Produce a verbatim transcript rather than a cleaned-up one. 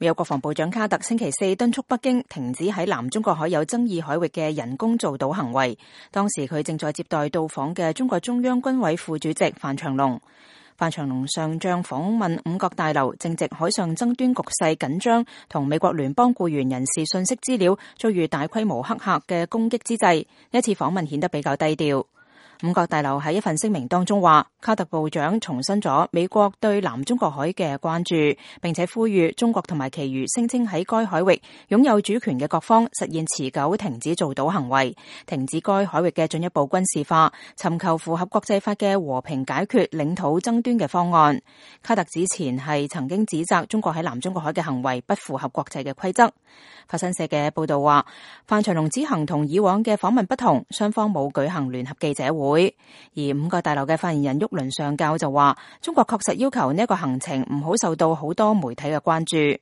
美國國防部長卡特星期四敦促北京停止喺南中國海有爭議海域嘅人工造島行為。當時佢正在接待到訪嘅中國中央軍委副主席范長龍。范長龍上將訪問五角大樓，正值海上爭端局勢緊張，同美國聯邦僱員人士信息資料遭遇大規模黑客嘅攻擊之際，呢一次訪問顯得比較低調。五角大樓喺一份聲明當中話，卡特部長重申咗美國對南中國海嘅關注，並且呼籲中國同埋其餘聲稱喺該海域擁有主權嘅各方實現持久停止造島行為，停止該海域嘅進一步軍事化，尋求符合國際法嘅和平解決領土爭端嘅方案。卡特之前係曾經指責中國喺南中國海嘅行為不符合國際嘅規則。法新社嘅報道話，范長龍此行同以往嘅訪問不同，雙方冇舉行聯合記者會。而五角大樓嘅發言人沃倫上校就話，中國確實要求呢一個行程唔好受到好多媒體嘅關注。